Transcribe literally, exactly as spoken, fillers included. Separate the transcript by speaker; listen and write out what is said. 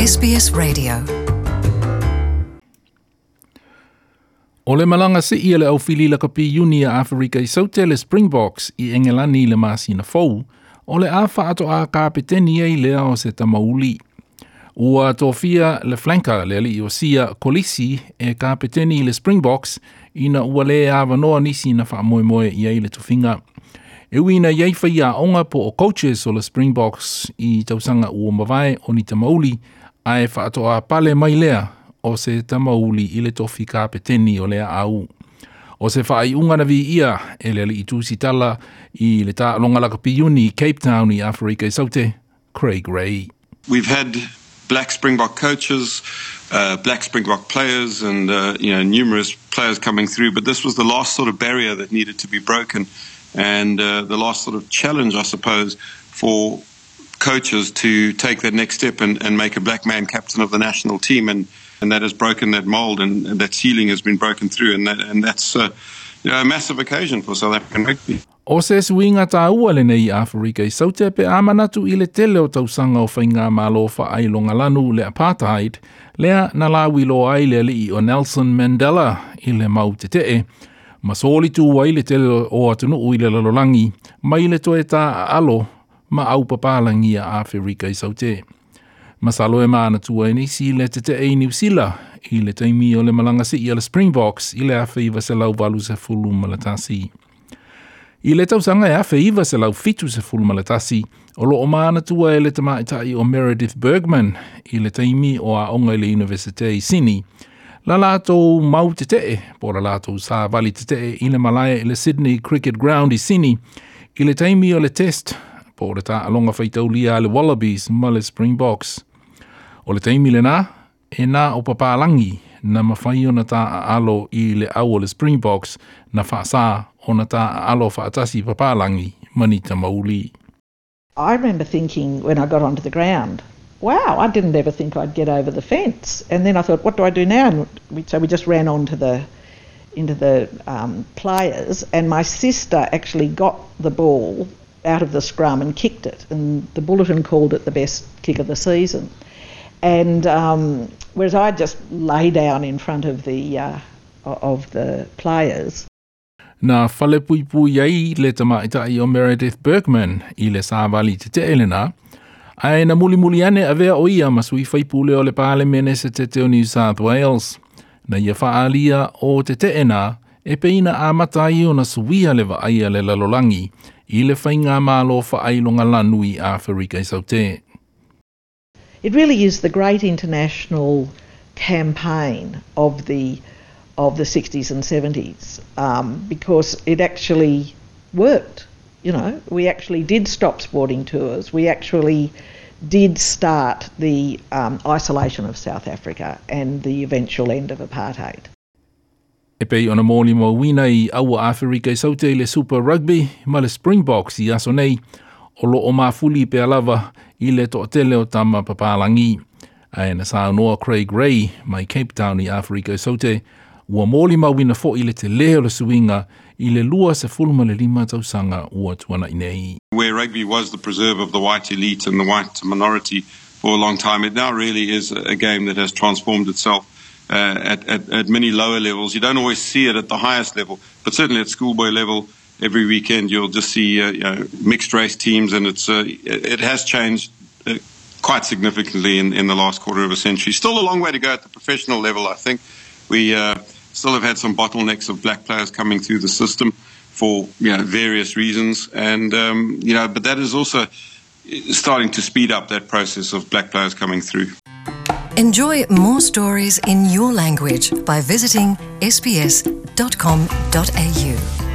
Speaker 1: S B S Radio.
Speaker 2: O le malaga sii a le aufili lakapi iuni a Aferika i Saute le Springboks i Engelani i le masina fou, o le a faatoa kapeteni ai lea o se tamauli. Ua tofia le flanker le alii o Sia Kolisi e kapeteni i le Springboks ina ua le avanoa nisi na faamoemoe i ai le tofiga. E ui ina i ai faiaoga po o coaches o le Springboks i tausaga ua mavae o ni tamauli, ae faatoa pale mai lea o se tamauli i le tofi kapeteni o lea au. O se faaiuga na viia e le alii tusitala i le taaloga lakapi iuni i Cape Town i Aferika i Saute, Craig Ray.
Speaker 3: We've had black Springbok coaches, uh, black Springbok players, and uh, you know numerous players coming through. But this was the last sort of barrier that needed to be broken, and uh, the last sort of challenge, I suppose, for coaches to take that next step and, and make a black man captain of the national team. And, and that has broken that mold, and, and that ceiling has been broken through, and that, and that's uh, you know, a massive occasion for South African rugby.
Speaker 2: O se suiga taua lenei i Aferika i Saute pe a manatu i le tele o tausaga o faigamalo faaailogalanu le apartheid, lea na lauiloa ai le alii o Nelson Mandela i le mau tetee, ma solitu ai le tele o atunuu i le lalolagi mai le toe taaalo ma aupapalagi a Aferika i Saute. Masalo e manatua e nisi le tetee i Niu Sila i le taimi o le malaga sii a le Springboks i le afe iva selau valu sefulu ma le tasi. I le tausaga e afe iva selau fitu sefulu ma le tasi, o loo manatua e le tamaitai o Meredith Bergman i le taimi o aoga i le Universite i Sini, la latou mau tetee, po la latou savali tetee i le malae i le Sydney Cricket Ground i Sini, i le taimi o le test, po o le taaloga faitaulia a le Wallabies ma le Springboks. O le taimi lena, e na o papalagi na mafai ona taaalo i le au o le Springboks na faasā ona taaalo faatasi papalagi ma ni tamauli.
Speaker 4: I remember thinking when I got onto the ground, wow, I didn't ever think I'd get over the fence. And then I thought, what do I do now? And we, so we just ran onto the into the um, players, and my sister actually got the ball out of the scrum and kicked it, and the bulletin called it the best kick of the season. And um, whereas I just lay down in front of the uh, of the players.
Speaker 2: Na falepuipui ai le tamaitai o Meredith Bergman i le savali tetee lena, ae na mulimuli ane avea o ia ma sui faipule o le Palemene setete o New South Wales. Na ia faaalia o tetee na e pei na amata ai ona suia le vaai a le lalolagi i le faigamalo faailogalanu i Aferika i Saute.
Speaker 4: It really is the great international campaign of the of the sixties and seventies um, because it actually worked. You know, we actually did stop sporting tours. We actually did start the um, isolation of South Africa and the eventual end of apartheid.
Speaker 2: E pei ona molimauina i aua Aferika i Saute i le Super Rugby ma le Springboks i aso nei, o loo mafuli pea lava i le toatele o tama papalagi. Ae na saunoa Craig Ray mai Cape Town i Aferika i Saute, ua molimauina foi le tele o le suiga i le lua sefulu ma le lima tausaga ua tuanai nei.
Speaker 3: Where rugby was the preserve of the white elite and the white minority for a long time, it now really is a game that has transformed itself uh, at, at, at many lower levels. You don't always see it at the highest level, but certainly at schoolboy level, every weekend you'll just see uh, you know, mixed race teams, and it's uh, it has changed uh, quite significantly in, in the last quarter of a century. Still a long way to go at the professional level, I think. We uh, still have had some bottlenecks of black players coming through the system for you know various reasons, and um, you know, but that is also starting to speed up that process of black players coming through.
Speaker 1: Enjoy more stories in your language by visiting S B S dot com dot A U.